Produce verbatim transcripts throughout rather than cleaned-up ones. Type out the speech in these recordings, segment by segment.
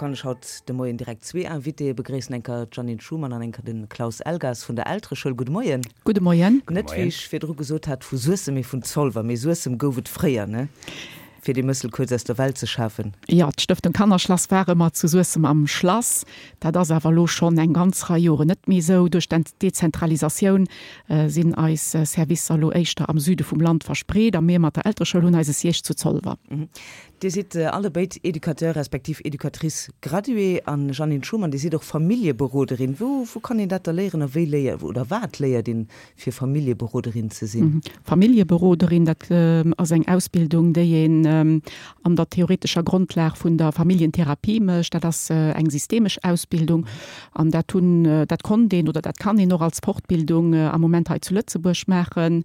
kann ech haut de Moien direkt zwee Invitéë begréissen, eng Kéier d'Jeannine Schumann an eng Kéier de Klaus Elgas vun der Eltereschoul. Gudde Moien. Gudde Moien. Net, wéi ech virdru gesot hat, vu Suessem, mee vun Zolwer. Mee Suessem gouf et fréier, ne? Fir dee Mëssel kuerz aus der Welt ze schafen. Jo, d'Stëftung Kannerschlass war ëmmer zu Suessem am Schlass. Dat ass awer elo schonn eng ganz Rei Joren net méi esou. Duerch d'Dezentralisatioun sinn eis Servicer elo éischter am Süde vum Land verspreet a mir mat der Eltereschoul hunn eise Siège zu Zolwer. Dir sidd allebéid Educateur respektiv Educatrice graduée an Jeannine Schumann, Dir sidd och Familljeberoderin. Wou wou kann een dat da léieren a wéi léier oder wat léiert een, fir Familljeberoderin ze sinn? Familljeberoderin, dat ass eng Ausbildung, déi een an der theoretescher Grondlag vun der Familljentherapie mécht. Dat ass eng systemesch Ausbildung an dat hunn, dat konnt een oder dat kann een och als Fortbildung am Moment hei zu Lëtzebuerg maachen.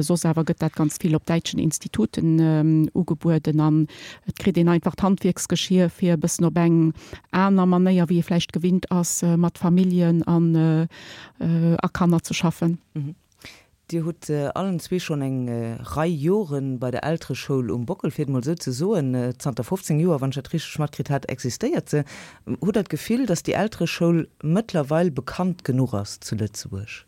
Soss awer gëtt dat ganz vill op däitschen Instituten ugebueden an et kritt een einfach d'Handwierksgeschier, fir e bëssen op eng aner Manéier, wéi ee vläicht gewinnt ass, mat Familljen an a Kanner ze schaffen. Dir hutt allen zwee schonn eng Rei Jore bei der Eltereschoul um Bockel, fir et emol esou ze soen. Zanter fofzéng Joer, wann ech dat richteg matkritt hat, existéiert se. Hutt Der d'Gefill, datt déi Eltereschoul mëttlerweil bekannt genuch ass zu Lëtzebuerg?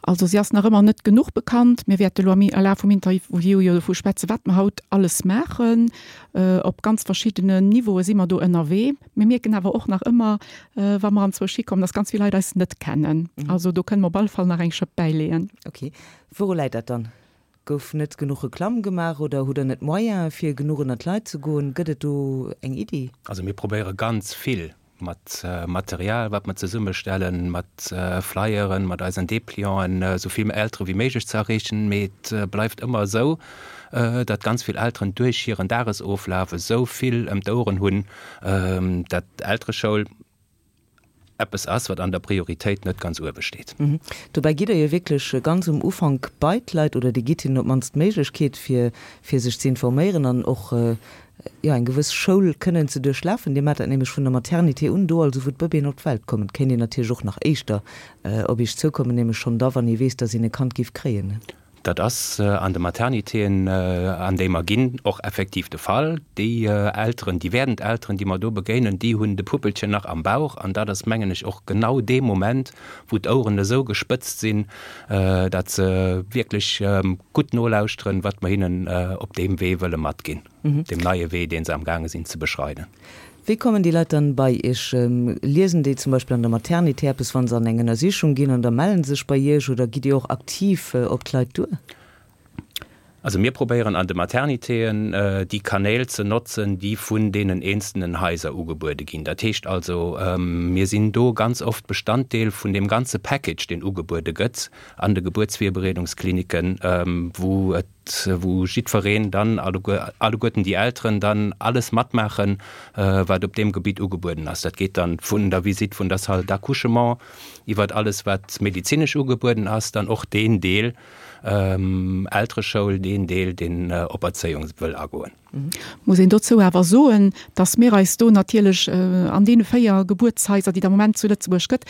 Also si ass nach ëmmer net genuch bekannt. Mir wäerte elo am Laf vum Interview jo dovu schwätzen, wat mer haut alles maachen. Op ganz verschiddenen Niveaue si mer do ënnerwee. Mir mierken awer och nach ëmmer, wa mer anzwousch hikommen, dass ganz vill Leit eis net kennen. Also do kënne mer op alle Fall nach eng Schëpp bäileeën. Ok. Wouru läit dat dann? Gouf net genuch Reklamm gemaach oder hutt Der net d'Moyene fir genuch ënnert d'Leit ze goen? Gëtt et do eng Iddi? Also mir probéiere ganz vill mat Material, wat mer zesummestellen, mat Flyeren, mat eisen Deplianten, esou vill Eltere wéi méiglech ze erreechen. Mee et bleift ëmmer esou, datt ganz vill Elteren duerch hiren Dagesoflaf esou vill ëm d'Oueren hunn, datt d'Eltereschoul eppes ass, wat an der Prioritéit net ganz uewe steet. Dobäi gitt Der jo wierklech ganz um Ufank bei d'Leit oder Dir gitt hinnen op d'mannst d'Méiglechkeet, fir fir sech ze informéieren an och jo eng gewëss Schoul kënnen ze duerchlafen. Dir maacht dat nämlech vun der Maternité un, do also wou d'Bëbeeën op d'Welt kommen. Et kéint een natierlech och nach éischter op Iech zoukommen, nämlech schonn da wann ee weess, datt een e Kand géif kréien. Dat ass an de Maternitéen, an déi mer ginn, och effektiv de Fall. Déi Elteren, déi werdend Elteren, déi mer do begéinen, déi hunn de Puppelchen nach am Bauch. An dat ass, mengen ech, och genau dee Moment, wou d'Oueren esou gespëtzt sinn, datt se wierklech gutt nolauschteren, wat mer hinnen op deem Wee wëlle matginn, deem neie Wee, dee se amgaange sinn ze beschreiden. Wéi kommen déi Leit dann bei Iech? Liesen déi zum Beispill an der Maternité eppes, wa se an eng Ënnersichung ginn an da mellen se sech bei Iech oder gitt Dir och aktiv op d'Leit duer? Also mir probéieren an de Maternitéen déi Kanäl ze notzen, déi vun deenen eenzelnen Haiser ugebuede ginn. Dat heescht also, mir sinn do ganz oft Bestanddeel vun deem ganze Package, deen ugebuede gëtt an de Gebuertsvirbereedungskliniken, wou et wou jiddwereen dann, alleguerten déi Elteren dann alles matmaachen, wat op deem Gebitt ugebueden ass. Dat geet dann vun der Visite vun der Salle d'accouchement iwwert alles, wat medezinesch ugebueden ass, dann och deen Deel Eltereschoul, deen Deel, deen op Erzéiung wëll agoen. Muss een dozou awer soen, dass mir eis do natierlech an deene véier Gebuertshaiser, déi et am Moment zu Lëtzebuerg gëtt,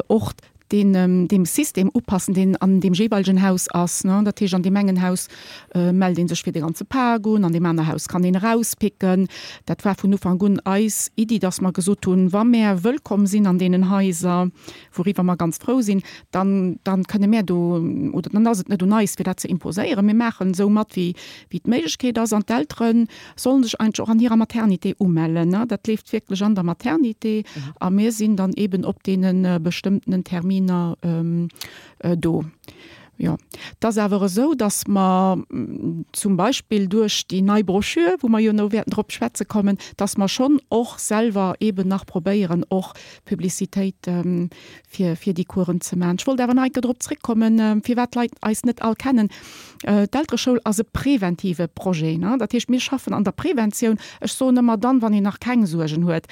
och deen deem System upassen, deen an deem jeeweilegen Haus ass. Dat heescht, an deem engen Haus mellt ee sech fir de ganze Pak un, an deem aner Haus kann een erauspicken. Dat war vun Ufank un eis Iddi, dass mer gesot hunn, wa mär wëllkomm sinn an deenen Haiser, wouriwwer mer ganz frou sinn, dann, dann kënne mär do, oder dann ass et net un eis, fir dat ze imposéieren. Mir maachen esou mat, wéi, wéi d'Méiglechkeet ass. An d'Eltere sollen sech eigentlech och an hirer Maternité umellen. Dat leeft wierklech an der Maternité a mir sinn dann eeben op deene bestëmmtenen Terminer do. Jo, et ass awer esou, datt mer zum Beispill duerch déi nei Broschür, wou mer jo no wäerten drop schwätze kommen, datt mer schonn och selwer eeben nach probéieren, och Publicitéit fir, fir déi Coursen ze maachen. Ech wollt awer nach eng Kéier drop zréckkommen, firwat d'Leit eis net all kennen. D'Eltereschoul ass e preventive Projet. Dat heescht, mir schaffen an der Preventioun. Ech soen ëmmer dann, wann een nach keng Suergen huet.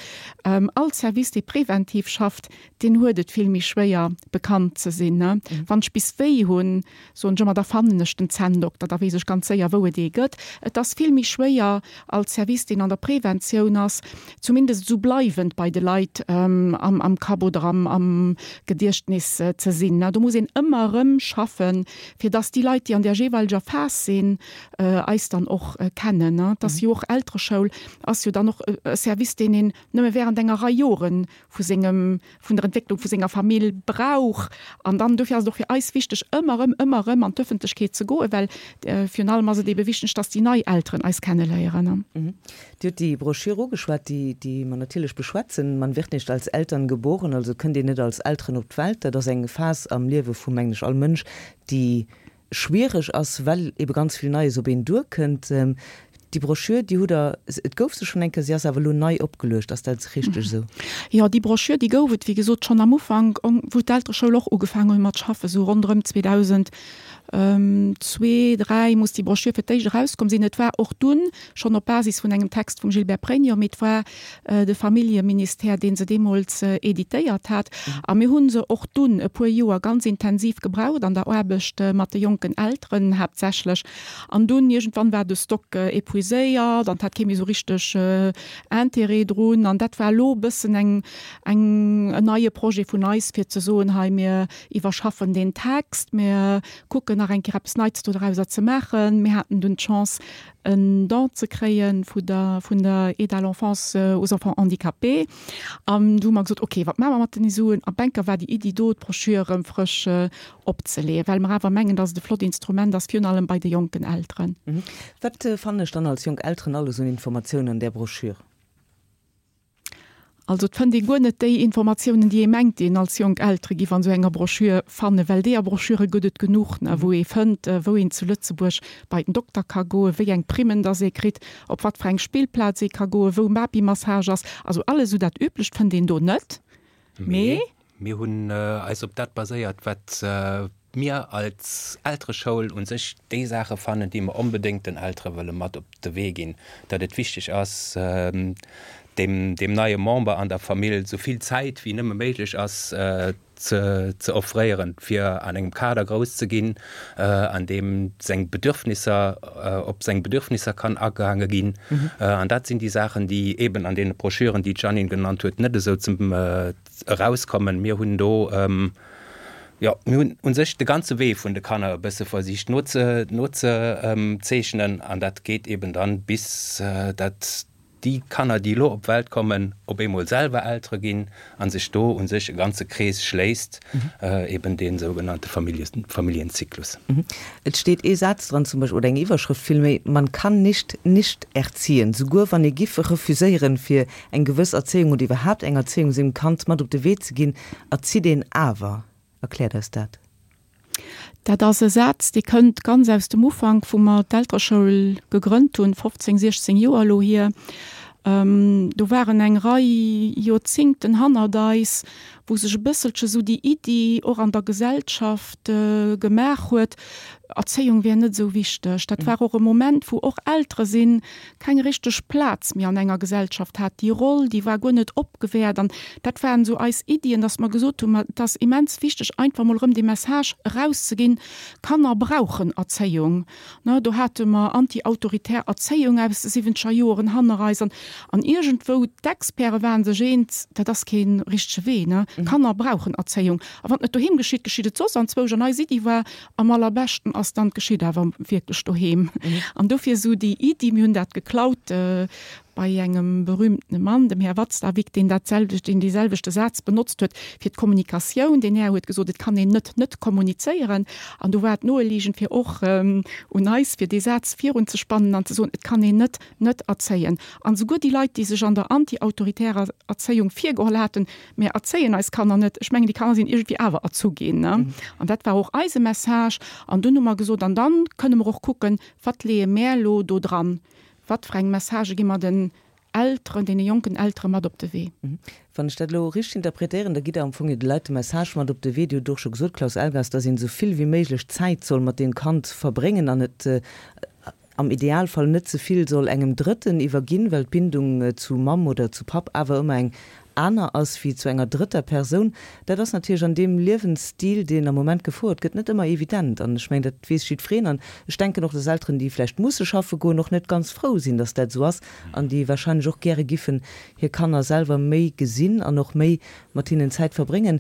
All Service, dee preventiv schafft, deen huet et vill méi schwéier, bekannt ze sinn. Wann ech bis wéi hunn, sinn, soen ech ëmmer, da fannen ech den Zänndokter, da weess ech ganz séier, wou et ee gëtt. Et ass vill méi schwéier als Service, deen an der Preventioun ass, zumindest esou bleiwend bei de Leit am Kapp oder am Gediechtnis ze sinn. Do muss een ëmmer erëm schaffen, fir dass déi Leit, déi an där jeeweileger Phas sinn, eis dann och kennen. Et ass jo och, Eltereschoul ass jo dann och e Service, deen een nëmme während enger Rei Jore vu sengem, vun der Entwécklung vu senger Famill brauch. An dann, dofir ass et och fir eis wichteg, ëmmer erëm, ëmmer erëm an d'Ëffentlechkeet ze goen, well virun allem ass et ebe wichteg, dass déi nei Elteren eis kenneléieren. Dir hutt déi Broschür ugeschwat, déi, déi mer natierlech beschwätzen. Man wird nicht als Eltern geboren, also kënnt een net als Elteren op d'Welt. Dat ass eng Phas am Liewe vu, mengen ech, all Mënsch, déi schwiereg ass, well ebe ganz vill Neies op een duerkënnt. Déi Broschür, déi hutt Der, et gouf se schonn eng Kéier, si ass awer elo nei opgeluecht. Ass dat richteg esou? Jo, déi Broschür, déi gouf et, wéi gesot, schonn am Ufank, wou d'Eltereschoul och ugefaangen huet mat schaffen, esou ronderëm zweedausendzwee, dräi muss déi Broschür fir d'éischt erauskomm sinn. Et war och dunn schonn op Basis vun engem Text vum Gilbert Pregno, mee et war de Familljeministère, dee se deemools editéiert hat. A mir hu se och dunn e puer Joer ganz intensiv gebraucht an der Aarbecht mat de jonken Elteren haaptsächlech. An dunn iergendwann war de Stock épuiséiert an et hat kee méi esou richteg Intérêt drun. An dat war elo e bëssen eng, eng, en neie Projet vun eis, fir ze soen, hei mir iwwerschaffen deen Text, mir kucken nach eng Kéier eppes Neits dodrauser ze maachen. Mir haten dunn d'Chance en Don ze kréie vu der, vun der Aide à l'enfance aux enfants handicapés. An du hu mer gesot, okay, wat maache mer mat den Suen? A Banker war déi Iddi do, d'Broschür erëm frësch opzeleeën, well mer awer mengen, dass et e flott Instrument ass, virun allem bei de jonken Elteren. Wat fannen ech dann als jonk Elteren alles un Informatiounen an där Broschür? Also et fënnt ee guer net déi Informatiounen, déi ee mengt, déi een als jonk Eltere giff an esou enger Broschür fannen, well deeër Broschüre gëtt et genuch, ne, wou ee fënnt, wou een zu Lëtzebuerg bei den Dokter ka goen, wéi eng Primmen dass ee kritt, op wat fir eng Spillplaz ee ka goen, wou Babymassage ass. Also alles esou dat Üblecht fënnt een do net. Mee mir hunn eis op dat baséiert, wat mir als Eltereschoul u sech déi Saache fannen, déi mer onbedéngt den Eltere wëlle mat op de Wee ginn, datt et wichteg ass, deem, deem neie Member an der Famill esou vill Zäit wéi nëmme méiglech ass ze, ze offréieren, fir an engem Kader grouss ze ginn, an deem seng Bedürfnisser, op seng Bedürfnisser kann agaange ginn. An dat sinn déi Saachen, déi eeben an deene Broschüren, déi d'Jeanine genannt huet, net esou zum, erauskommen. Mir hunn do, jo, mir hunn u sech de ganze Wee vun de Kanner e bësse versicht nozezeechnen an dat geet eeben dann bis dat déi Kanner, déi elo op d'Welt kommen, op eemol selwer Eltere ginn a sech do u sech e ganze Krees schléisst, eeben dee sougenannte Familienzyklus. Et steet ee Saz dran zum Beispill, oder eng Iwwerschrëft villméi, Man kann nicht nicht erziehen. Souguer wann ee giff refuséieren, fir eng gewëss Erzéiung oder iwwerhaapt eng Erzéiung sengem Kand mat op de Wee ze ginn, erzitt een awer. Erkläert eis dat. Dat ass e Saz, dee kënnt ganz aus dem Ufank, wou mer d'Eltereschoul gegrënnt hunn, fofzéng, siechzéng Joer elo hier. Do waren eng Rei Joerzingten hannert eis, wou sech e bësselche sou déi Iddi och an der Gesellschaft gemaach huet, Erzéiung wär net esou wichteg. Dat war och e Moment, wou och Eltere sinn keng richteg Plaz méi an enger Gesellschaft hat. Déi Roll, déi war guer net opgewäert. An dat waren esou eis Iddien, dass mer gesot hunn, ma et ass immens wichteg, einfach mol erëm dee Message erauszeginn, Kanner brauchen Erzéiung. Ne, do hate mer anti-autoritär Erzéiung aus de siwwenzeger Joren hanner eis. An, an iergendwou, d'Experte waren sech eens, dat ass kee richtege Wee. Ne, Kanner brauchen Erzéiung. A wann et net doheem geschitt, geschitt et soss anzwousch. An eis Iddi war, am allerbeschten ass dann, et geschitt awer wierklech doheem. An dofir esou déi Iddi, mir hunn dat geklaut bei engem berühmtene Mann, dem Här Watzlawick, deen dat selwecht, deen dee selwechte Saz benotzt huet fir d'Kommunikatioun. Deen Här huet gesot, et kann een net net kommunizéieren. An do war et noeliegend fir och un eis, fir dee Saz virunzespannen an ze soen, et kann een net net erzéien. An esouguer déi Leit, déi sech an der anti-autoritärer Erzéiung virgeholl haten, Mir erzéien eis Kanner net, ech mengen, déi Kanner sinn iergendwéi awer erzu ginn. An dat war och eise Message. An dunn hu mer gesot, an dann kënne mer och kucken, wat leeë mär elo do dran, wat fir eng Messagë gi mer den Elteren, deene jonken Eltere mat op de Wee. Wann ech dat elo richteg interpretéieren, da gitt Der am Fong jo de Leit de Message mat op de Wee, Dir hutt och scho gesot, Klaus Elgas, dass een esou vill wéi méiglech Zäit soll mat deem Kand verbréngen an et am Idealfall net ze vill soll engem Drëtten iwwerginn, well d'Bindung zu Mamm oder zu Papp awer ëmmer eng aner ass wéi zu enger drëtter Persoun, dat ass natierlech an deem Liewensstil, deen am Moment gefouert gëtt, net ëmmer evident. An ech mengen, dat weess jiddwereen. An ech denken och, dass Elteren, déi vläicht musse schaffe goen, och net ganz frou sinn, dass dat esou ass an déi wahrscheinlech och gäre giffen hir Kanner selwer méi gesinn an och méi mat hinnen Zäit verbréngen.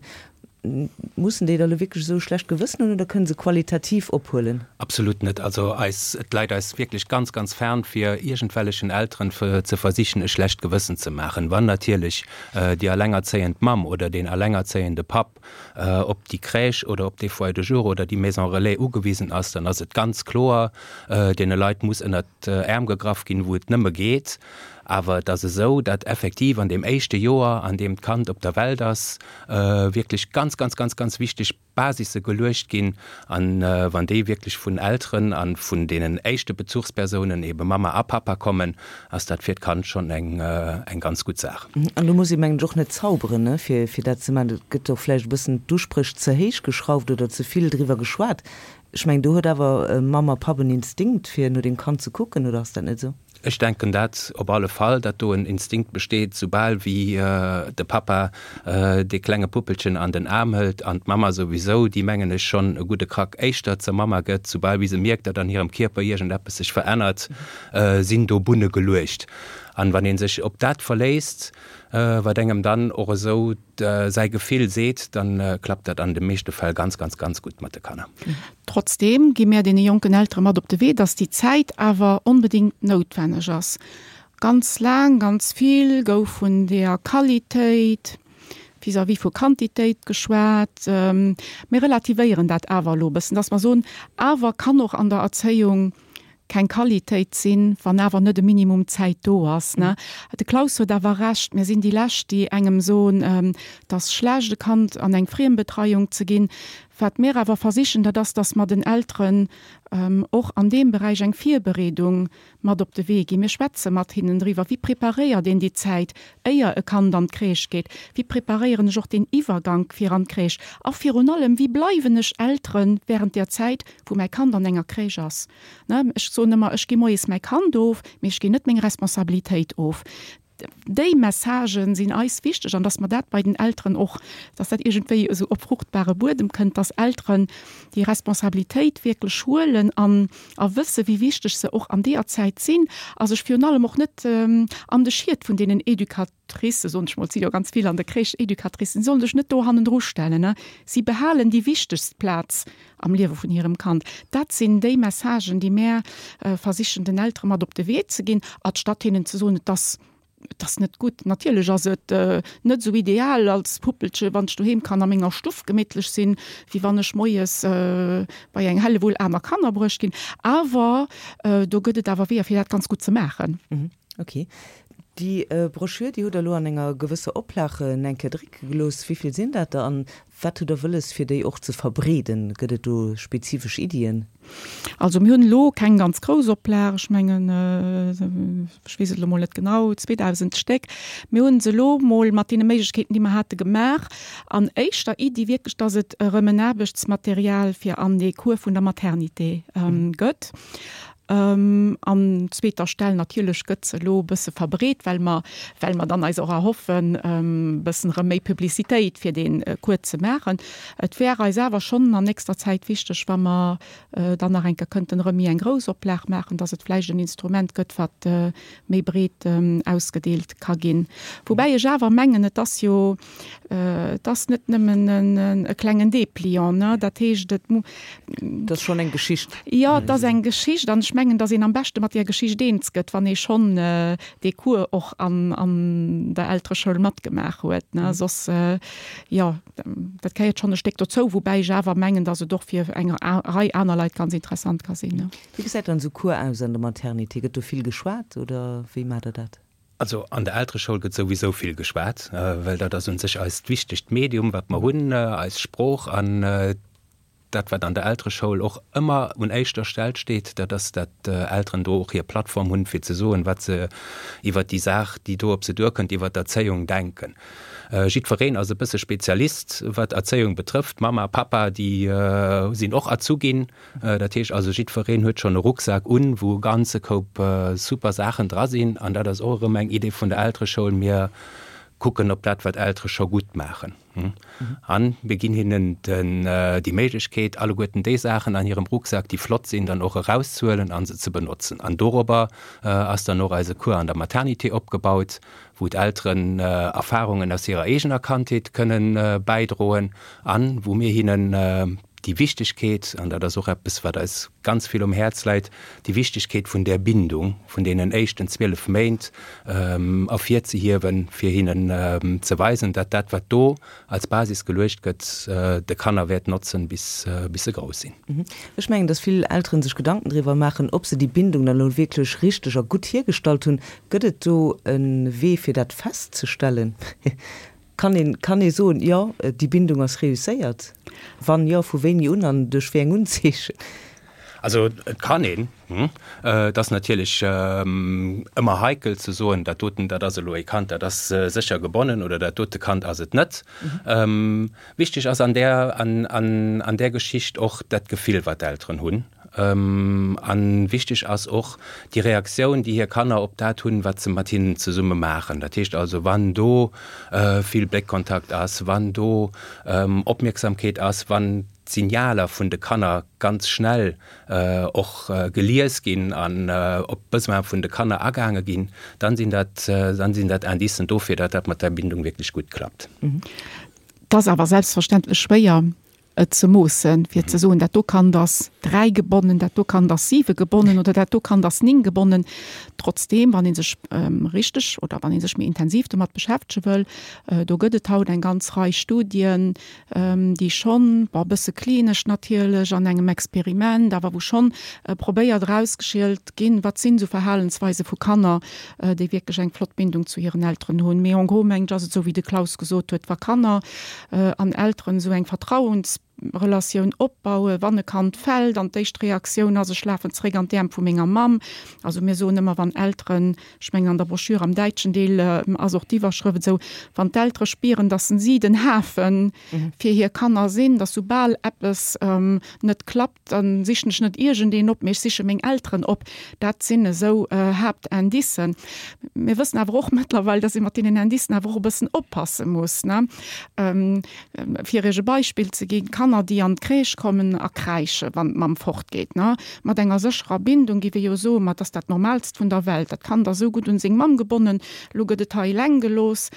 Mussen déi da lo wierklech esou e schlecht Gewëssen hunn oder kënne se qualitativ ophuelen? Absolut net. Also eis, et läit eis wierklech ganz, ganz fern, fir iergendwellechen Elteren ze versichen e schlecht Gewëssen ze maachen. Wann natierlech déi allengerzéiend Mamm oder deen allengerzéiende Papp op déi Crèche oder op dee Foyer de jour oder déi Maison relais ugewisen ass, dann ass et ganz kloer, deene Leit muss ënnert d'Äerm gegraff ginn, wou et nëmme geet. Awer et ass esou, datt effektiv an deem éischte Joer, an deem d'Kand op der Welt ass, wierklech ganz, ganz, ganz, ganz wichteg Basisse geluecht ginn. A wann déi wierklech vun Elteren a vun deenen éischte Bezuchspersounen, ebe Mamma a Pappa, kommen, ass dat fir d'Kand schonn eng, eng ganz gutt Saach. An do muss ee, mengen ech, och net zauberen, ne, fir, fir dat ze maachen. Et gëtt och vläicht e bëssen d'Uspréch ze héich geschrauft oder ze vill driwwer geschwat. Ech mengen, do huet awer Mamm a Papp en Instinkt, fir no deem Kand ze kucken, oder ass dat net esou? Ech denken dat op alle Fall, datt do en Instinkt besteet, soubal wéi de Pappa dee klenge Puppelchen an den Aarm hëlt an d'Mamma souwisou, déi mengen ech schonn e gudde Krack éischter zur Mamma gëtt, soubal wéi se mierkt, datt an hirem Kierper iergendeppes sech verännert, sinn do Bunne geluecht. An wann ee sech op dat verléisst, wat engem dann och esou säi Gefill seet, dann klappt dat an de meeschte Fäll ganz, ganz, ganz gutt mat de Kanner. Trotzdeem gi mär deene jonken Eltere mat op de Wee, dass déi Zäit awer onbedéngt noutwenneg ass. Ganz laang, ganz vill gouf vun der Qualitéit vis-à-vis vu Quantitéit geschwat. Mir relativéieren dat awer elo e bëssen, dass mer soen, awer kann och an der Erzéiung keng Qualitéit sinn, wann awer net e Minimum Zäit do ass. De Klaus huet awer Recht, mir sinn déi Lescht, déi engem soen, et ass schlecht, e Kand an eng Friembetreiung ze ginn. Wat mir awer versichen, dat ass, dass mer den Elteren och an deem Beräich eng Virbereedung mat op de Wee ginn. Mir schwätze mat hinnen driwwer, wéi preparéiert een déi Zäit, éier e Kand an d'Crèche geet, wéi preparéieren ech och deen Iwwergank fir an d'Crèche a virun allem, wéi bleiwen ech Eltere während där Zäit, wou mäi Kand an enger Crèche ass. Ech soen ëmmer, ech gi moies mäi Kand of, mee ech ginn net meng Responsabilitéit of. Déi Messagen sinn eis wichteg an dass mer dat bei den Elteren och, dass dat iergendwéi esou op fruchtbare Buedem kënnt, dass Elteren déi Responsabilitéit wierklech huelen an a wësse wéi wichteg se och an deeër Zäit sinn a sech virun allem och net an de Schiet vun deenen Educatricen, soen ech mol, et si jo ganz vill an der Crèche Educatricen, si sollen sech net do hannendru stellen. Si behalen déi wichtegst Plaz am Liewe vun hirem Kand. Dat sinn déi Messagen, déi mär versichen den Eltere mat op de Wee ze ginn, anstatt hinnen ze soen, et ass, et ass net gutt. Natierlech ass et net esou ideal als Puppelche, wann ech doheem kann a menger Stuff gemittlech sinn, wéi wann ech moies bei eng Hellewull aner Kanner bruecht ginn. Awer do gëtt et awer Weeër, fir dat ganz gutt ze maachen. Ok. Déi Broschür, déi hutt Der elo an enger gewësser Oplag eng Kéier drécke gelooss. Wéi vill sinn dat der an wat hutt Der wëlles, fir déi och ze verbreeden? Gëtt et do spezifesch Iddien? Also mir hunn elo keng ganz grouss Oplag, ech mengen, ech weess et elo mol net genau, zweedausend Stéck. Mir hunn se elo mol mat deene Méiglechkeeten, déi mer hate gemaach, an éischter Iddi wierklech, dass et erëm en Aarbechtsmaterial fir an dee Cours vun der Maternité gëtt. An zweeter Stell natierlech gëtt se elo e bësse verbreet, well mer, well mer dann eis och erhoffen, e bëssen erëm méi Publicitéit fir dee Cours ze maachen. Et wär eis awer schonn an nächster Zäit wichteg, wa mer dann nach eng Kéier kënnten erëm méi eng grouss Oplag maachen, dass et vläicht en Instrument gëtt, wat méi breet ausgedeelt ka ginn. Woubäi ech awer mengen, et ass jo, Et ass net nëmmen e klengen Dépliant, ne? Dat heescht, et mu. Et ass schonn eng Geschicht. Jo, et ass eng Geschicht an ech mengen, datt een am beschte mat där Geschicht eens gëtt, wann ee schonn dee Cours och an an der Eltereschoul matgemaach huet, ne? Soss, jo, dat gehéiert schonn e Stéck dozou, woubäi ech awer mengen, datt et och fir eng Rei aner Leit ganz interessant ka sinn, ne? Wéi gesäit dann esou e Cours aus an der Maternité? Gëtt do vill geschwat oder wéi maacht Der dat? Also an der Eltereschoul gëtt souwisou vill geschwat, well dat ass un sech eist wichtegt Medium, wat mer hunn, eis Sprooch. An dat, wat an der Eltereschoul och ëmmer un éischter Stell steet, dat ass, dat Elteren do och hir Plattform hunn, fir ze soen, wat se iwwert déi Saach, déi do op se duerkënnt, iwwert d'Erzéiung denken. Jiddwereen ass e bësse Spezialist, wat Erzéiung betrëfft. Mamma, Pappa, déi sinn och erzu ginn. Dat heescht also, jiddwereen huet schonn e Rucksak un, wou e ganze Koup super Saachen dra sinn. An dat ass och erëm eng Idee vun der Eltereschoul. Mir kucken op dat, wat Eltere scho gutt maachen. An mir ginn hinnen den, déi Méiglechkeet, alleguerten déi Saachen an hirem Rucksak, déi flott sinn, dann och erauszehuelen a se ze benotzen. An dorobber ass dann och eise Cours an der Maternité opgebaut, wou d'Elteren Erfarungen aus hirer eegener Kandheet kënnen bäidroen an wou mir hinnen déi Wichtigkeet, an dat ass och eppes, wat eis ganz vill um Häerz läit, déi Wichtigkeet vun där Bindung vun deenen éischten zwielef Méint ervirzehiewen, fir hinnen ze weisen, datt dat, wat do als Basis geluecht gëtt, de Kanner wäert notzen, bis se grouss sinn. Ech mengen, datt vill Elteren sech Gedanken driwwer maachen, ob se déi Bindung dann elo wierklech richteg a gutt hiergestallt hunn. Gëtt et do e Wee, fir dat festzestellen? Kann een, kann ee soen, jo, déi Bindung ass reusséiert? Wann jo, vu wéini un an duerch wéi eng Unzeechen? Also et kann een. Et ass natierlech ëmmer heikel ze soen, dat doten, dat ass elo ee Kand, dat ass sécher gebonnen oder dat dote Kand ass et net. Wichteg ass an där, an, an, an där Geschicht och dat Gefill, wat d'Elteren hunn. A wichteg ass och déi Reaktioun, déi hir Kanner op dat hunn, wat se mat hinnen zesumme maachen. Dat heescht also, wann do vill Bléckkontakt ass, wann do Opmierksamkeet ass, wann d'Signaler vun de Kanner ganz schnell och gelies ginn an op d'Besoine vun de Kanner agaange ginn, dann sinn dat, dann sinn dat Indicen dofir, datt dat mat der Bindung wierklech gutt klappt. Et ass awer selbstverständlech schwéier, et ze moossen, fir ze soen, dat do Kand ass dräi gebonnen, dat do Kand ass siwe gebonnen oder dat do Kand ass néng gebonnen. Trotzdeem, wann ee sech richteg oder wann ee sech méi intensiv domat beschäftege wëll, do gëtt et haut eng ganz Rei Studien, déi schonn, bon, e bësse klinesch natierlech an engem Experiment, awer wou schonn probéiert erausgeschielt ginn, wat sinn esou Verhalensweise vu Kanner, déi wierklech eng flott Bindung zu hiren Elteren hunn. Mee en gros, mengen ech, ass et esou, wéi de Klaus gesot huet, wa Kanner an Elteren esou eng Vertrauens Relatioun opbauen, wann e Kand fält an d'éischt Reaktioun ass, ech lafen zréck an d'Äerm vu menger Mamm. Also mir soen ëmmer, wann Elteren, ech mengen an der Broschür am däitschen Deel ass och d'Iwwerschrëft esou, wann d'Eltere spieren, dass si den Hafe fir hir Kanner sinn, dass soubal eppes net klappt, da sichen ech net iergendeen op, mee ech siche meng Elteren op. Dat sinn esou Haaptindicen. Mir wëssen awer och mëttlerweil, dass ee mat deenen Indicen awer och e bëssen oppasse muss, ne. Fir Iech e Beispill ze ginn, Kanner, déi an d'Crèche kommen a kräische wann d'Mamm fortgeet, ne, mat enger sécherer Bindung, géif ee jo soen, ma et ass dat Normalst vun der Welt, dat Kand ass esou gutt un seng Mamm gebonnen, elo gëtt et hei eleng gelooss,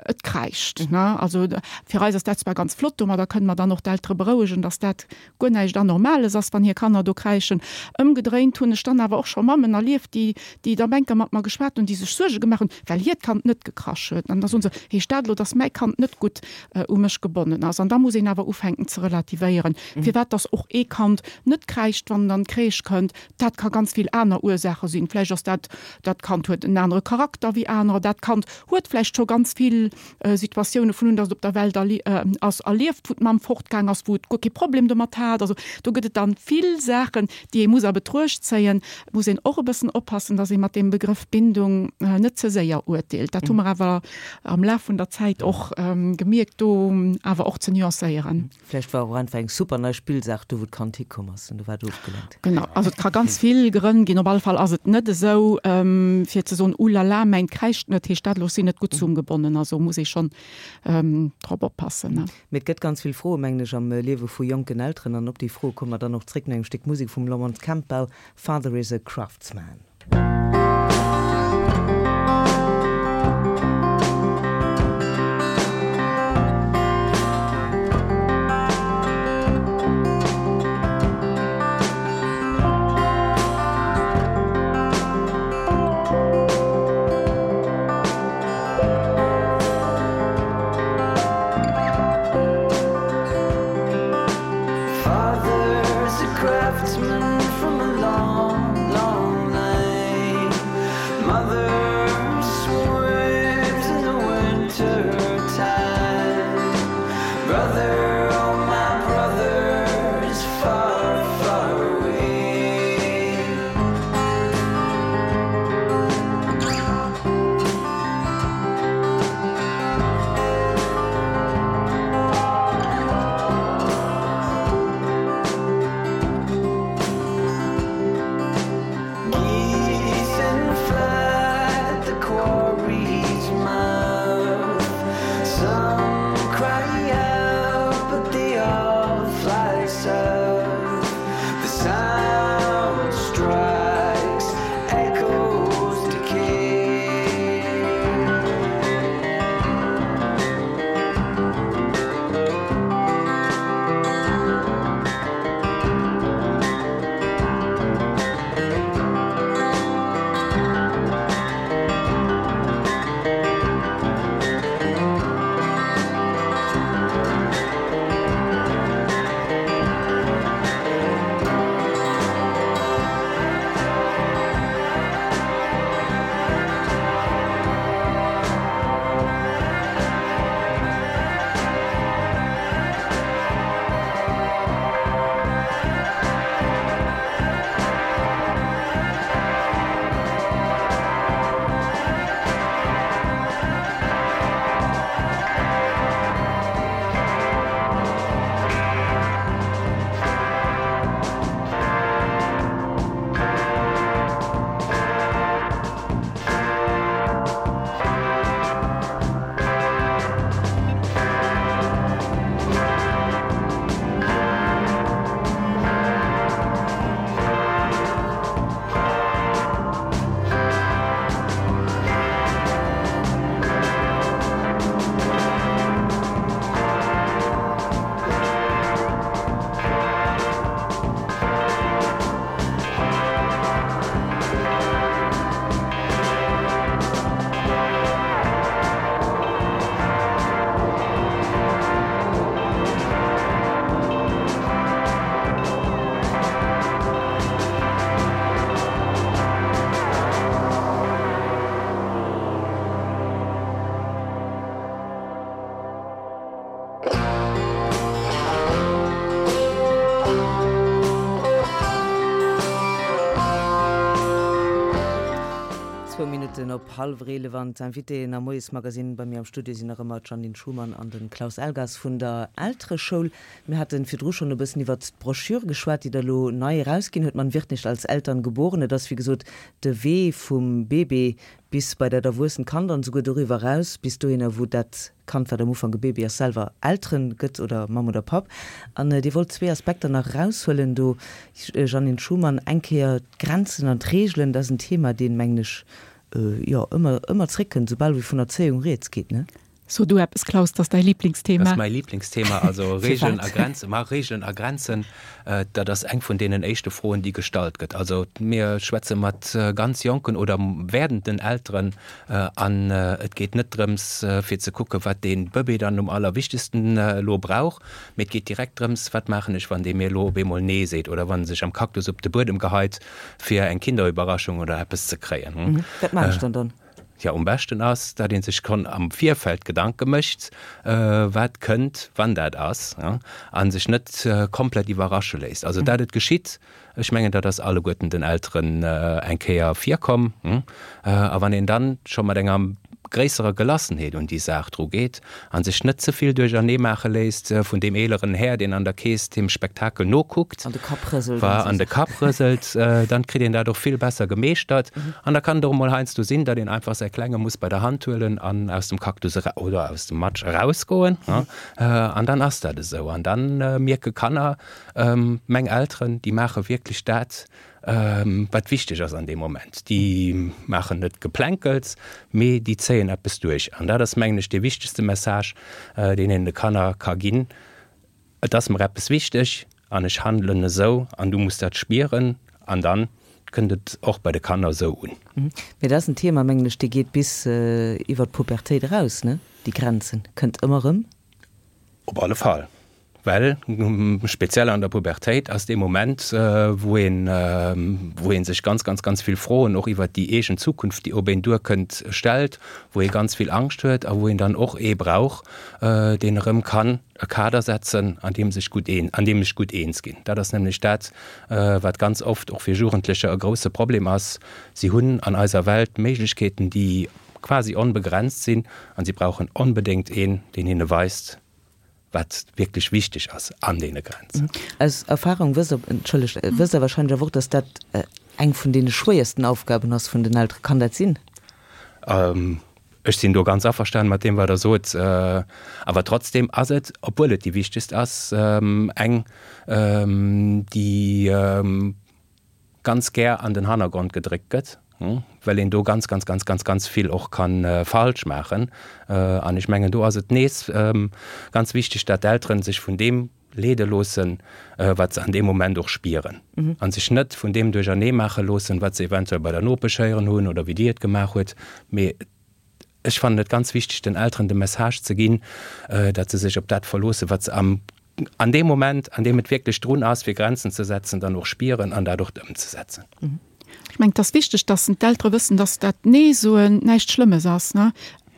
et kräischt, ne. Also fir eis ass dat zwar ganz flott, domadder kënne mer dann och d'Eltere berouegen, dass dat guer näischt Anormales ass, wann hir Kanner do kräischen. Ëmgedréint hunn ech dann awer och scho Mammen erlieft, déi, déi da enker mat mer geschwat hunn, déi sech Suerge gemaach hunn, well hiert Kand net gekrasch huet. An da soen se, Heescht dat elo, dass mäi Kand net gutt u mech gebonnen ass? An da muss een awer ufänken ze relativéieren, firwat dass och ee Kand net kräischt, wann en an d'Crèche kënnt. Dat ka ganz vill aner Ursaache sinn. Vläicht ass dat, dat Kand huet en anere Charakter wéi anerer, dat Kand huet vläicht scho ganz vill Situatioune vun un, dass et op der Welt ass, erlieft, wou d'Mamm fortgaang ass, wou et guer kee Problem domat hat. Also do gëtt et dann vill Saachen, déi ee muss a Betruecht zéien. Et muss een och e bëssen oppassen, dass ee mat deem Begrëff Bindung net ze séier urteelt. Dat hu mer awer am Laf vun der Zäit och gemierkt, do awer och ze nuancéieren. Vläicht war och einfach eng super nei Spillsaach do, wou d'Kand hikomm ass an do war et ofgelenkt. Genau, also et ka ganz vill Grënn ginn. Op alle Fall ass et net esou, fir ze soen, Ulala, mäint kräischt net, heescht dat elo, ech sinn net gutt zesummgebonnen. Also muss ee schonn drop oppassen. Mee et gëtt ganz vill Froen, mengen ech, am Liewe vu jonken Elteren an op déi Froe komme mer dann och zréck no engem Stéck Musek vum Laurence Campbell, Father is a Craftsman. Father's a craftsman from a long, long line. Minutten op hallwer eelef an d'Invitéen am Moiesmagazin bei mir am Studio sinn nach ëmmer d'Jeannine Schumann an de Klaus Elgas vun der Eltereschoul. Mir hate virdru schonn e bëssen iwwert d'Broschür geschwat, déi Der elo nei erausginn hutt, Man wird nicht als Eltern geboren. Et ass wéi gesot de Wee vum Bébé bis bei dat erwuessent Kand an esouguer doriwwer eraus, bis dohinner, wou dat Kand, wat am Ufank e Baby ass, selwer Eltere gëtt oder Mamm oder Papp. An Dir wollt zwee Aspekter nach eraushuelen do, Jeannine Schumann, eng Kéier d'Grenzen an d'Reegelen, dat ass en Thema, deen, mengen ech, jo, ëmmer, ëmmer zréckkënnt, soubal wéi vun Erzéiung rieds geet, ne? So du eppes, Klaus, dat ass däi Lieblingsthema. Dat ass mäi Lieblingsthema, also Regeln a Grenzen. Ma Regeln a Grenzen, dat ass eng vun deenen éischte Froen, déi gestallt gëtt. Also mir schwätze mat ganz jonken oder werdenden Elteren an et geet net drëms, fir ze kucken, wat dee Bëbee dann um allerwichtegsten elo brauch, mee et geet direkt drëms, wat maachen ech, wann dee mir elo op eemol Nee seet oder wann e sech am Cactus op de Buedem geheit, fir eng Kinderüberraschung oder eppes ze kréien. Wat maachen ech dann dann? Jo, um beschten ass, datt ee sech schonn am Virfeld Gedanke mécht, wat kënnt, wann dat ass, a sech net komplett iwwerrasche léisst. Also dat et geschitt, ech mengen, dat ass alleguerten den Elteren eng Kéier virkomm. A wann een dann scho mat enger gréisserer Gelassenheet un déi Saach dru geet a sech net ze vill duerchernee maache léisst vun deem eeleren Här, deen an der Keess deem Spektakel nokuckt, An de Kapp rëselt an de Kapp rëselt, dann kritt een dat och vill besser gemeeschtert. An da kann et och emol heiansdo sinn, datt een einfach säi Klenge muss bei der Hand huelen an aus dem Cactus oder aus dem Matsch erausgoen. An dann ass dat esou. An dann mierke Kanner, meng Elteren, déi maache wierklech dat, wat wichteg ass an deem Moment. Déi maachen net Geplänkels, mee déi zéien eppes duerch. An dat ass, mengen ech, dee wichtegste Message, deen een de Kanner ka ginn, Et ass mer eppes wichteg an ech handelen esou an du muss dat spieren. An dann kënnt et och bei de Kanner esou un. Mee dat ass en Thema, mengen ech, dee geet bis iwwer d'Pubertéit eraus, ne? Déi Grenzen kënnt ëmmer erëm. Op alle Fall. Well speziell an der Pubertéit ass dee Moment, wou een, wou ee sech ganz, ganz, ganz vill Froen och iwwert déi eegen Zukunft, déi op een duerkënnt, stellt, wou ee ganz vill Angscht huet a wou een dann och ee brauch, deen erëm kann e Kader setzen, an deem sech gutt een, an deem ech gutt eens ginn. Dat ass nämlech dat, wat ganz oft och fir Jugendlecher e grouse Problem ass, Si hunn an eiser Welt Méiglechkeeten, déi quasi onbegrenzt sinn, a si brauchen onbedéngt een, deen hinne weist, wat wierklech wichteg ass an deene Grenzen. Aus Erfahrung wësst Der, entschëllegt, wësst Der wahrscheinlech awer och, dass dat eng vun deene schwéiersten Aufgaben ass vun den Elteren. Kann dat sinn? Ech sinn do ganz averstanen mat deem, wat Der sot. Awer trotzdem ass et, obwuel et déi wichtegst ass, eng, déi ganz gär an den Hannergrond gedréckt gëtt, well een do ganz, ganz, ganz, ganz, ganz vill och ka falsch maachen. An ech mengen, do ass et nees ganz wichteg, dat d'Eltere sech vun deem leede loossen, wat se an deem Moment och spieren, a sech net vun deem duerchernee maache loossen, wat se eventuell bei der Nopesch héieren hunn oder wéi déi et gemaach huet. Mee ech fannen et ganz wichteg, den Elteren de Message ze ginn, datt se sech op dat verloossen, wat se am an deem Moment, an deem et wierklech drun ass, fir Grenzen ze setzen, dann och spieren an dat och ëmzesetzen. Ech mengen, et ass wichteg, dass d'Eltere wëssen, dass dat Nee-soen näischt Schlëmmes ass.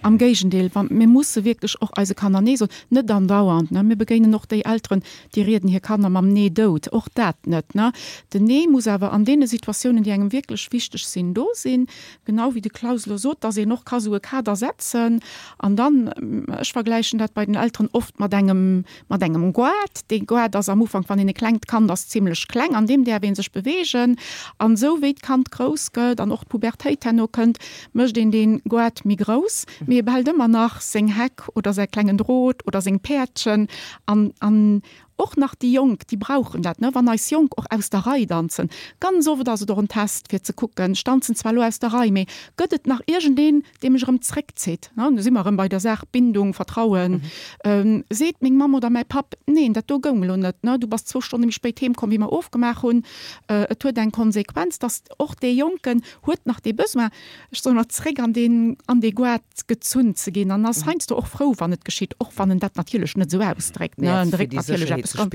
Am Géigendeel, wa mir musse wierklech och eise Kanner Nee soen, net andauernd. Mir begéinen och déi Elteren, déi rieden hir Kanner mam Nee dout. Och dat net. Den Nee muss awer an deene Situatiounen, déi engem wierklech wichteg sinn, do sinn. Genau wéi de Klaus elo sot, dass een och ka sou e Kader setzen an dann, ech vergläichen dat bei den Elteren oft mat engem, mat engem Goart. Dee Goart ass am Ufank, wann een e klengt Kand ass, zimlech kleng, an deem däerf ee sech beweegen. An esou wéi d'Kand grouss gëtt an och d'Pubertéit herno kënnt, mécht een dee Goart méi grouss, mee e behält ëmmer nach seng Heck oder säi klengen Drot oder seng Päerdchen an, an Och nach déi Jonk, déi brauchen dat, ne? Wann eis Jonk och aus der Rei danzen, ganz oft ass et och en Test fir ze kucken, ech danzen zwar elo aus der Rei, mee gëtt et nach iergendeen, dee mech erëm zréckzitt, ne? Do si mer erëm bei der Saach Bindung, Vertrauen. Seet meng Mamm oder mäi Papp, neen, dat do goung elo net, ne? Du bass zwou Stonne méi spéit heem komm, wéi mer ofgemaach hunn. Et huet eng Konsequenz, dass och dee Jonken huet nach dee Besoin, ech soen ëmmer, zréck an deen, an dee Goart gezunn ze ginn an ass heiansdo och frou, wann et geschitt, och wann en dat natierlech net esou ausdréckt, ne. En dréckt natierlech eppes ganz,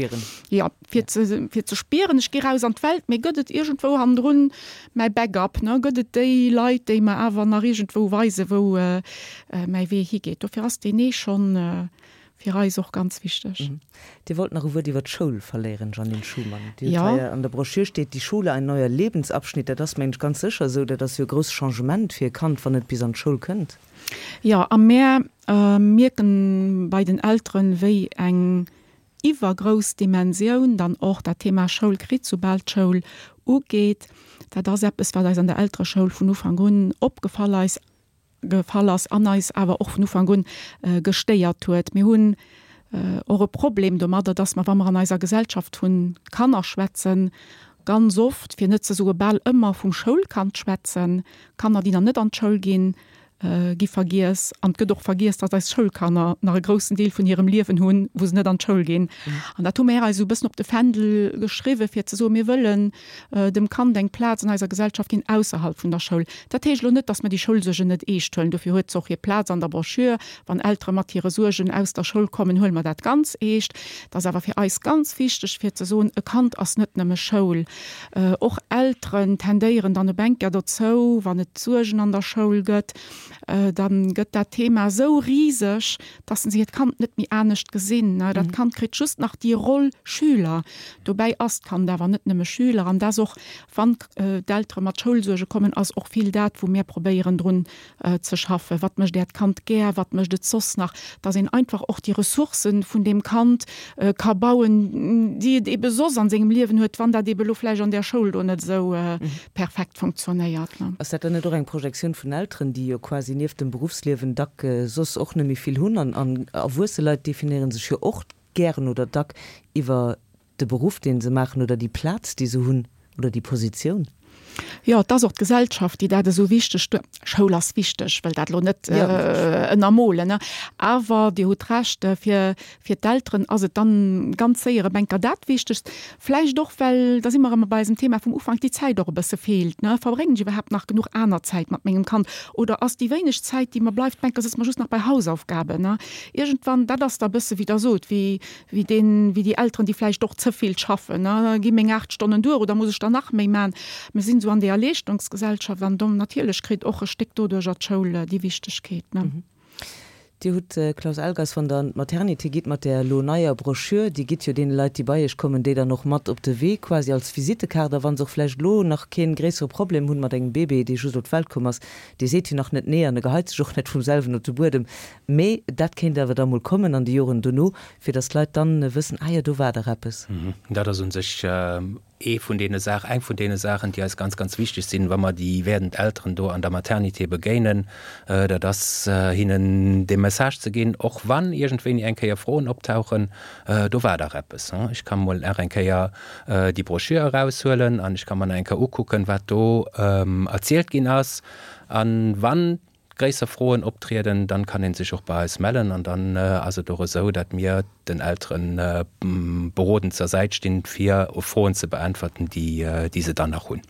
jo, fir ze, fir ze spieren, ech gi raus an d'Welt, mee gëtt et iergendwou hannendrun mäi Backup, ne, gëtt et déi Leit, déi mer awer nach iergendwou weisen, wou mäi Wee higeet. Dofir ass deen Nee schonn fir eis och ganz wichteg. Dir wollt nach e Wuert iwwer d'Schoul verléieren, Jeannine Schumann. Dir hutt hei an der Broschür steet, Die Schule, ein neuer Lebensabschnitt. Dat ass, mengen ech, ganz sécher esou. Dat ass jo e grousst Changement fir e Kand, wann et bis an d'Schoul kënnt. Jo, a mär mierken bei den Elteren, wéi eng iwwergrouss Dimensioun dann och dat Thema Schoul kritt, soubal d'Schoul ugeet. Dat ass eppes, wat eis an der Eltereschoul vun Ufank un opgefall eis gefall ass an eis awer och vun Ufank un gestéiert huet. Mir hunn och e Problem domadder, dass mer, wa mer an eiser Gesellschaft vu Kanner schwätzen, ganz oft, fir net ze soe bal ëmmer, vum Schoulkand schwätzen. Kanner, déi nach net an d'Schoul ginn, gi vergiess. An et gëtt och vergiess, datt eis Schoulkanner nach e groussen Deel vun hirem Liewen hunn, wou se net an d'Schoul ginn. An dat hu mir eis esou e bëssen op de Fändel geschriwwen, fir ze soen, mir wëllen dem Kand eng Plaz an eiser Gesellschaft ginn ausserhalb vun der Schoul. Dat heescht elo net, datt mir déi Schoulsuergen net eescht huelen. Dofir huet se och hir Plaz an der Broschür. Wann Eltere mat hire Suergen aus der Schoul kommen, huele mer dat ganz eescht. Et ass awer fir eis ganz wichteg, fir ze soen, e Kand ass net nëmme Schoul. Och Elteren tendéieren dann op eng Kéier dozou, wann et Suergen an der Schoul gëtt, da gëtt dat Thema esou riseg, dass se hiert Kand net méi anescht gesinn. Dat Kand kritt just nach déi Roll Schüler. Dobäi ass d'Kand awer net nëmme Schüler. An dat ass och, wann d'Eltere mat Schoulsuerge kommen, ass och vill dat, wou mir probéieren drun ze schaffen. Wat mécht Äert Kand gär? Wat mécht et soss nach? Dass een einfach och déi Ressourcë vun deem Kand ka bauen, déi et ebe soss an sengem Liewen huet, wann dat ebe lo vläicht an där Schoul do net esou perfekt funktionéiert. Ass dat dann net och eng Projektioun vun Elteren, déi jo quasi nieft dem Beruffsliewen dack soss och net méi vill hunn? An erwuesse Leit definéiere sech jo och gären oder dack iwwer de Beruff, dee se maachen oder déi Plaz, déi se hunn oder déi Positioun. Jo, et ass och d'Gesellschaft, déi dat esou wichteg duer. Schoul ass wichteg, wëll dat elo net ënnermolen, awer Dir hutt Recht, fir fir d'Elteren ass et dann ganz séier e Bänker dat Wichtegst. Vläicht och, well, da si mer erëm bei eisem Thema vum Ufank, déi Zäit och e bësse feelt, ne. Verbréngen ech iwwerhaapt nach genuch aner Zäit mat mengem Kand oder ass déi wéineg Zäit, déi mer bleift, Bänker sëtze mer just nach bei Hausaufgaben, ne. Iergendwann, dat ass da e bësse wéi Der sot, wéi wéi deen, wéi déi Elteren, déi vläicht och ze vill schaffen, ne, gi meng aacht Stonnen duer oder muss ech der nach méi man? Mir sinn esou an deeër Leeschtungsgesellschaft an do natierlech kritt och e Stéck doduercher d'Schoul déi Wichtegkeet, ne. Dir hutt, Klaus Elgers, wann Der an d'Maternité gitt mat där elo neier Broschür, déi gitt jo deene Leit, déi bei Iech kommen, déi dann och mat op de Wee quasi als Visittekaart, a wa se och vläicht elo nach kee gréissere Problem hunn mat engem Bébé, dee just op d'Welt komm ass, dee seet jo nach net Nee an e geheit sech och net vum selwen op de Buedem, mee dat kéint awer da mol kommen an de Joren dono, fir datt d'Leit dann wëssen, Ah jo, do war dach eppes. Dat ass u sech ee vun deene Saach, eng vun deene Saachen, déi eis ganz, ganz wichteg sinn, wa mer déi werdend Elteren do an der Maternité begéinen, dat ass hinnen dee Message ze ginn, och wann iergendwéini eng Kéier Froen optauchen, do war dach eppes. Ech ka mol nach eng Kéier déi Broschür eraushuelen an ech ka mer nach eng Kéier ukucken, wat do erzielt ginn ass. A wann gréisser Froen optrieden, dann kann een sech och bei eis mellen an dann ass et och esou, dat mir den Elteren berodend zur Säit stinn, fir Froen ze beäntwerten, déi déi se dann nach hunn.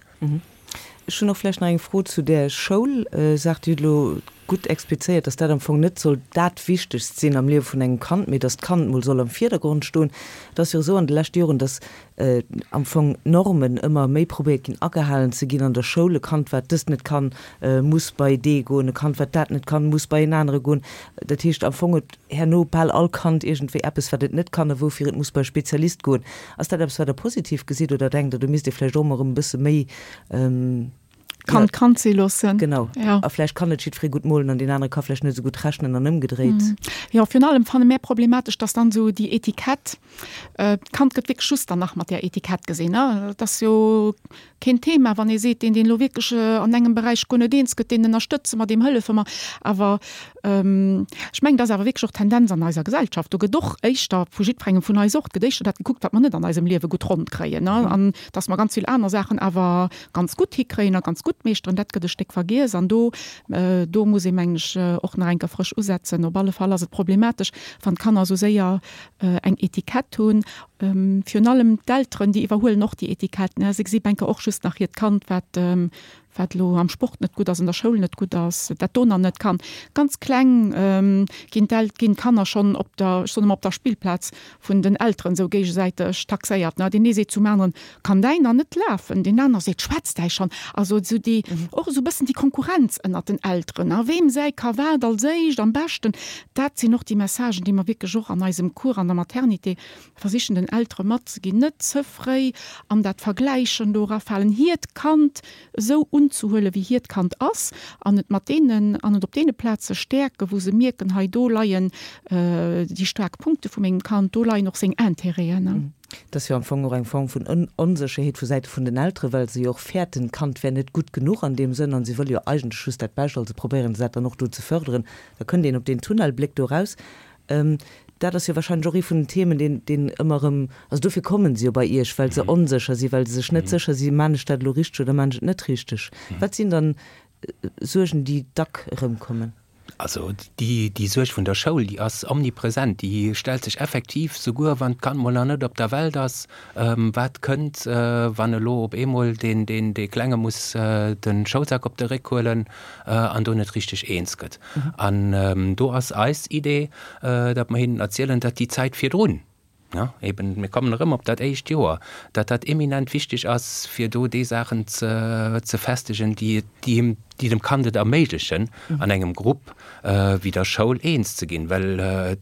Ech hunn och vläicht nach eng Fro zu där Schoulsaach. Dir hutt elo gutt explizéiert, dass dat am Fong net soll dat Wichtegst sinn am Liewe vun engem Kand, mee dass d'Kand mol soll am Virdergrond stoen. Et ass jo esou an de leschte Joren, dass am Fong d'Normen ëmmer méi probéiert ginn agehalen ze ginn an der Schoul. E Kand, wat dëst net kann, muss bei dee goen, e Kand, wat dat net kann, muss bei en anere goen. Dat heescht, am Fong huet herno bal all Kand iergendwéi eppes, wat et net kann a woufir et muss bei e Spezialist goen. Ass dat eppes, wat Der positiv gesitt oder denkt Der, do misst ee vläicht och emol erëm e bësse méi Kand Kand si loossen. Genau. Ja. A vläicht kann net jiddweree gutt molen an deen anere ka vläicht net esou gutt rechnen an ëmgedréit. Mm. Jo, virun allem fanne mär problematesch, dass dann esou déi Etikett, äh, d'Kand gëtt wierklech just dann nach mat där Etikett gesinn, ne? Et ass jo keen Thema, wann ee seet, deen, deen elo wierklech an engem Beräich guer net eens gëtt, deen ënnerstëtze mer, deem hëllefe mer. Awer ech mengen, dat ass awer wierklech och d'Tendenz an eiser Gesellschaft. Do gëtt och éischter, vu jiddwerengem vun eis och, et gëtt éischter dat gekuckt, wat mer net an eisem Liewe gutt ronn kréien, ne? An dass mer ganz vill aner Saachen awer ganz gutt hikréien a ganz gutt meeschteren, dat gëtt e Stéck vergiess. An do, do muss ee, mengen ech, och nach eng Kéier frësch usetzen. Op alle Fall ass et problematesch, wann d'Kanner esou séier eng Etikett hunn. Virun allem d'Elteren, déi iwwerhuelen och déi Etikett, ne? Se gesi bänker och just nach hiert Kand, wat, wat elo am Sport net gutt ass, an der Schoul net gutt ass, dat do nach net kann. Ganz kleng ginn d'El ginn d'Kanner schonn op der, ech soen ëmmer, op der Spillplaz vun den Elteren esou géigesäiteg taxéiert, ne. Deen ee seet zum aneren, Kann däin nach net lafen? Deen aner seet, Schwätzt däi schonn? Also esou déi, och esou e bëssen déi Konkurrenz ënnert den Elteren, ne, weem säi ka wat als éischt am beschten. Dat sinn och déi Messagen, déi mer wierklech och an eisem Cours an der Maternité versichen den Eltere matzeginn, net ze fréi an dat Vergläichen do erafalen, hiert Kand esou unzehuelen, wéi hiert Kand ass, an et mat deenen, an et op deene Plaze stäerken, wou se mierken, hei do leien déi staark Punkte vu mengem Kand, do leien och seng Intérêten. Dat ass jo am Fong och eng Form vun Onsécherheet vu Säite vun den Elteren, well se jo och fäerten, d'Kand wär net gutt genuch an deem Sënn an si wëlle jo eigentlech just dat Bescht, also probéieren se dat dann och do ze förderen. Da kënnt een op deen Tunnelbléck do eraus. Dat ass jo wahrscheinlech och ee vun den Themen, deen, deen ëmmer erëm, also dofir kommen se jo bei Iech, well se onsécher sinn, well se sech net sécher sinn, Maan ech dat elo richteg oder maan ech et net richteg? Wat sinn dann Suergen, déi dack erëmkommen? Also déi, déi Suerg vun der Schoul, déi ass omnipresent, déi stellt sech effektiv, souguer wann d'Kand mol nach net op der Welt ass, Wat kënnt, wann elo op eemol deen, deen, dee Klenge muss de Schoulsak op de Réck huelen an do net richteg eens gëtt? An do ass eis Idee, datt mer hinnen erzielen, datt déi Zäit virdrun, ja, eben, mir kommen erëm op dat éischt Joer, datt dat eminent wichteg ass, fir do déi Saachen ze, ze festegen, déi, déi him, déi dem Kand et erméiglechen, an engem Grupp wéi der Schoul eens ze ginn. Well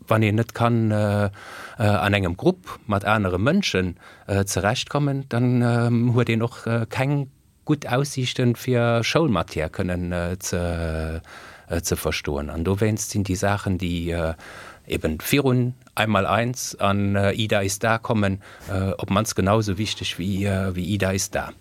wann een net kann an engem Grupp mat anere Mënschen zerechtkommen, dann huet een och keng gutt Aussiichten, fir Schoulmatière kënnen ze, ze verstoen. An dowéinst sinn déi Saachen, déi eben virun Einmal eins an Ida ist da kommen, op d'mannst genau esou wichteg wéi Ida ist da.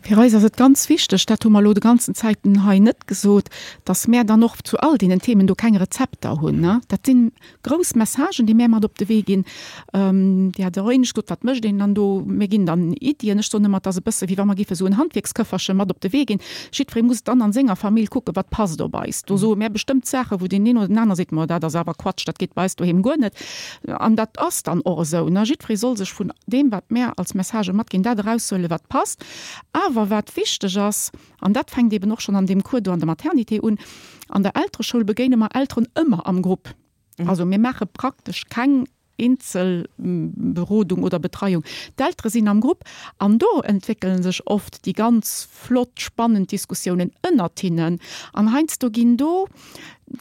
Fir eis ass et ganz wichteg, dat hu mer elo de ganzen Zäiten hei net gesot, dass mär dann och zu all deenen Themen do keng Rezepter hunn. Dat si grouss Messagen, déi mär mat op de Wee ginn. Dir hat och éinescht gesot, wat mécht een dann do? Mir ginn dann Iddien. Ech soen ëmmer, et ass e bësse wéi wa mer géife sou en Handwierksköfferche mat op de Wee ginn. Jiddweree muss dann an senger Famill kucken, wat passt op eis. Do soe mär bestëmmt Saachen, wou deen een oder den aner seet, Ma dat ass awer Quatsch, dat geet bei eis doheem guer net. An dat ass dann och esou, ne? Jiddweree soll sech vun deem, wat mär als Messagë matginn, dat eraushuelen, wat passt. Awer wat wichteg ass, an dat fänkt eeben och schonn an deem Cours do an der Maternité un, An der Eltereschoul begéine mer Elteren ëmmer am Grupp. Also mir maache praktesch keng Eenzelberodung oder Betreiung. D'Eltere sinn am Grupp an do entwéckele sech oft déi ganz flott, spannend Diskussiounen ënnert hinnen. An heiansdo ginn do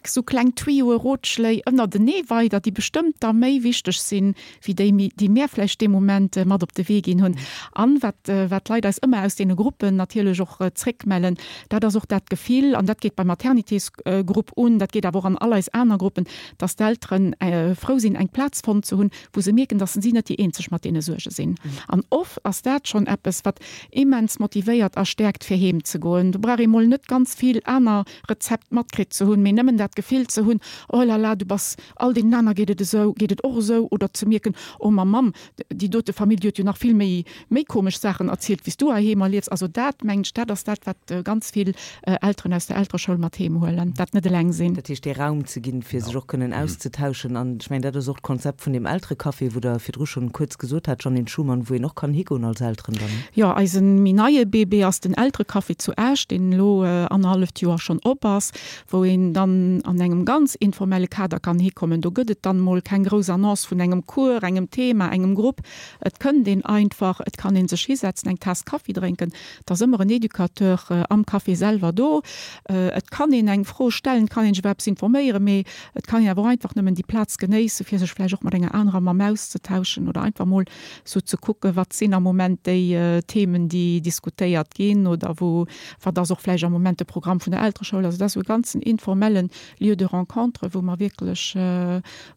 sou kleng Tuyauxen, Rotschléi ënnertenee weider, déi bestëmmt da méi wichteg sinn, wéi déi, déi mär vläicht dee Moment mat op de Wee ginn hunn. An wat, wat d'Leit eis ëmmer aus deene Gruppen natierlech och zréckmellen, dat ass och dat Gefill, an dat geet beim Maternitésgrupp un, dat geet awer och an all eis aner Gruppen, dass d'Eltere frou sinn, eng Plaz fonnt ze hunn, wou se mierken, dass si net déi eenzeg mat deene Suerge sinn. An oft ass dat schonn eppes, wat immens motivéiert a stäerkt, fir heem ze goen. Do brauch ee mol net ganz vill aner Rezept matkritt ze hunn, mee nëmmen dat Gefill ze hunn, Oh là là, du bass, all deenen aner geet et esou, geet et och esou, oder ze mierken, Oh ma Mamm, déi dote Famill, déi huet jo nach vill méi, méi komesch Saachen erzielt, wéi s du heiheem erliefs. Also dat, mengen ech, dat ass dat, wat ganz vill Elteren aus der Eltereschoul mat heem huelen, dat net eleng sinn. Dat heescht, dee Raum ze ginn, fir sech och kënnen auszetauschen. An ech mengen, dat ass och d'Konzept vun deem Elterecafé, wou Der virdru schonn kuerz gesot hat, Jeanine Schumann, wou een och kann higoen als Elteren dann. Jo, eise méi neie Bébé ass den Elterecafé zu Esch, deen elo annerhalleft Joer schonn op ass, wou een dann an engem ganz informelle Kader kann hikommen. Do gëtt et dann mol keng grouss Annonce vun engem Cours, engem Thema, engem Grupp. Et kënnt een einfach, et kann ee sech hisetzen, eng Taass Kaffi drénken. Et ass ëmmer en Educateur am Café selwer do. Et kann een eng Fro stellen, et kann een sech iwwer eppes informéieren, mee et kann een awer och einfach nëmmen déi Plaz genéissen, fir sech vläicht och mat enger anerer Mamm auszetauschen oder einfach mol sou ze kucken, wat sinn am Moment déi Themen, déi diskutéiert ginn oder wou, wat ass och vläicht am Moment de Programm vun der Eltereschoul. Also dat ass esou e ganzen informelle Lieu de rencontre, wou mer wierklech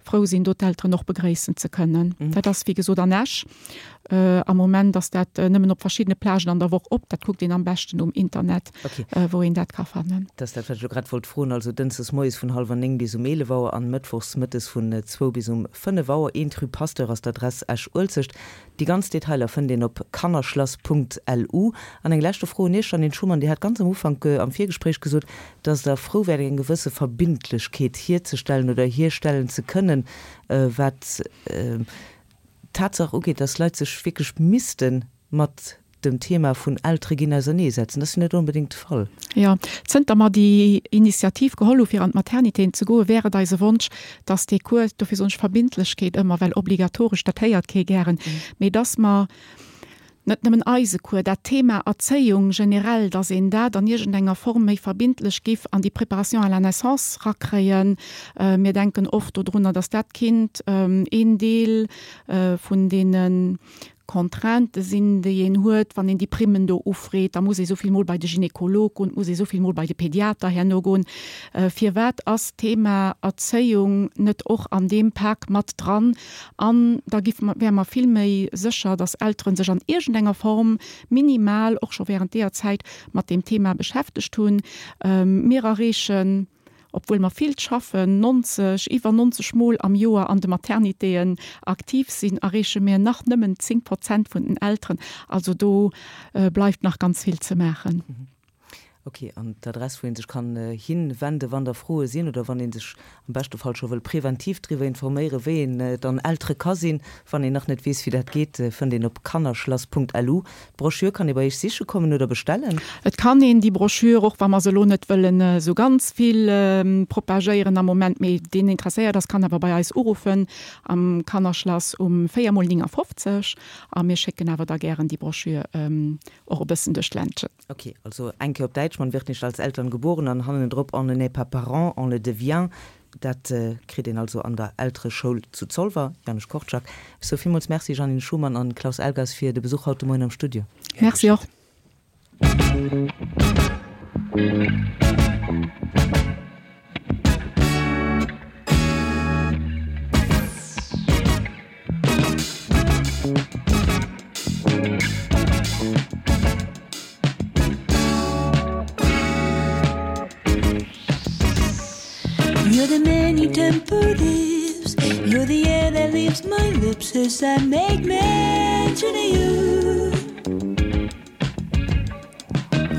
frou sinn, do d'Elteren och begréissen ze kënnen. Dat ass wéi gesot an Esch. Am Moment ass dat nëmmen op verschiddene Plagen an der Woch op. Dat kuckt een am beschten um Internet, wou een dat ka fannen. Dat ass dat, wat ech elo grad wollt froen. Also dënschdes moies vun hallwer néng bis um eelef Auer an mëttwochs mëttes vun zwou bis um fënnef Auer. Eent rue Pasteur ass d'Adress, Esch-Uelzecht. Déi ganz Detailer fënnt een op kannerschlass Punkt lu. An eng leschte Fro un Iech, Jeanine Schumann, Dir hat ganz am Ufank am Virgespréich gesot, dass Der frou wäert eng gewësse Verbindlechkeet hierzestellen oder hierstellen ze kënnen, wat d'Tatsaach ugeet, dass Leit sech wierklech misste mat dem Thema vun Eltere ginn auserneesetzen. Dat ass jo net onbedéngt de Fall. Jo, zënter mer déi Initiativ geholl hu fir an d'Maternitéen ze goen, wär et eise Wonsch, dass dee Cours, dofir soen ech Verbindlechkeet ëmmer, well obligatoresch, dat héiert kee gären, mee dass mer net nëmmen eise Cours, dat Thema Erzéiung generell, dass een dat an iergendenger Form méi verbindlech giff an déi Préparation à la naissance rakréien. Mir denken oft dodrunner, dass dat kinnt een Deel vun deene Contraintë sinn, déi een huet, wann een déi Primmen do ufreet. Da muss ee souvill Mol bei de Gynekolog goen, et muss ee souvill Mol bei de Pediater herno goen. Firwat ass d'Thema Erzéiung net och an deem Pak mat dran? An da giffe mer, wäre mer vill méi sécher, dass Eltere sech an iergendenger Form minimal och scho während deeër Zäit mat deem Thema beschäftegt hunn. Mir erreechen, obwuel mer vill schaffen, neunzeg, iwwer neunzeg Mol am Joer an de Maternitéen aktiv sinn, erreeche mir nach nëmmen zéng Prozent vun den Elteren. Also do bleift nach ganz vill ze maachen. Ok, an d'Adress, wou ee sech kann hinwenden, wann da Froe sinn oder wann ee sech am beschte Fall scho wëll preventiv driwwer informéieren, wéi een dann Eltere ka sinn, wann een nach net weess, wéi dat geet, fënnt een op kannerschlass Punkt L U. D'Broschür kann ee bei Iech siche kommen oder bestellen. Et kann een déi Broschür, och wa mer se elo net wëllen esou ganz vill propagéieren am Moment, mee deen interesséiert ass, kann awer bei eis uruffen am Kannerschlass um véier mol néngafofzeg a mir schécken awer da gären déi Broschür och e bëssen duerch d'Ländchen. Ok, also eng Kéier op Däitsch, Man wird nicht als Eltern geboren an hannendrop On ne naît pas parent, on le devient. Dat kritt een also an der Eltereschoul zu Zolwer. Janusz Korczak, Ech soe villmools Merci Jeannine Schumann an Klaus Elgas fir de Besuch haut de Moien am Studio. Merci och. You're the many-tempered lips You're the air that leaves my lips As I make mention of you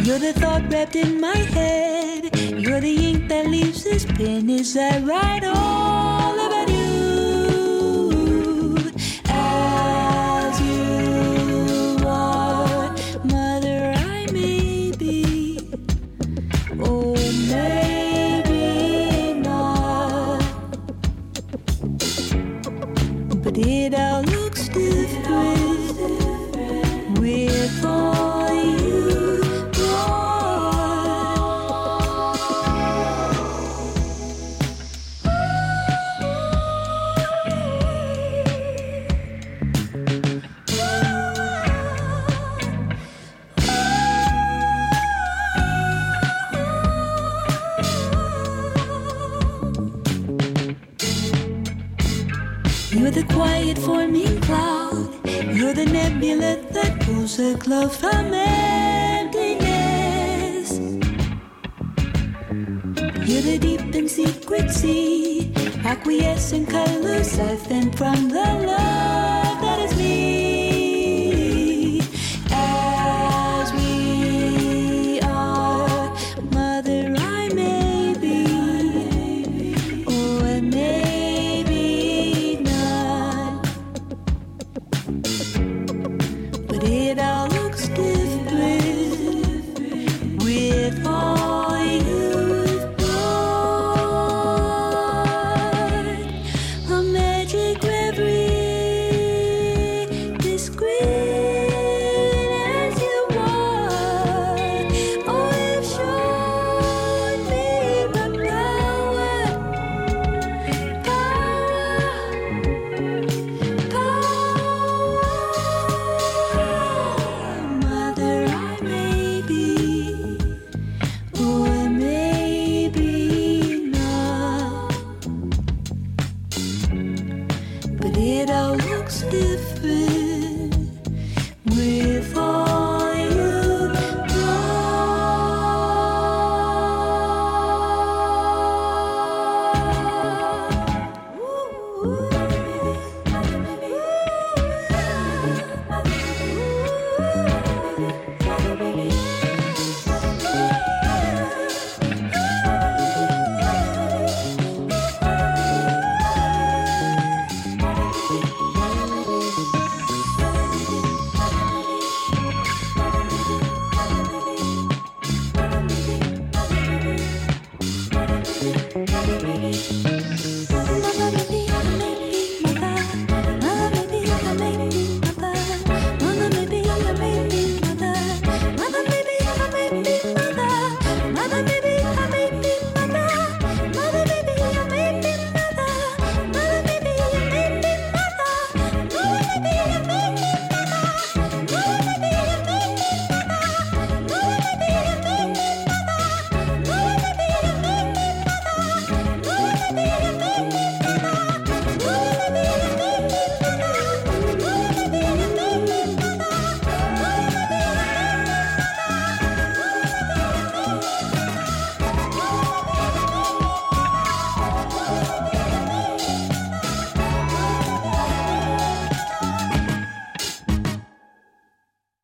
You're the thought wrapped in my head You're the ink that leaves this pen As I write all about you As you are Mother, I may be Or maybe not But it all looks different With all you brought You're the quiet forming cloud You're the nebula that pulls a glow from emptiness You're the deep and secret sea Acquiescent colors I've been from the love that is me As we are Mother, I may be Or maybe not But it all looks different With all you've brought A magic reverie me.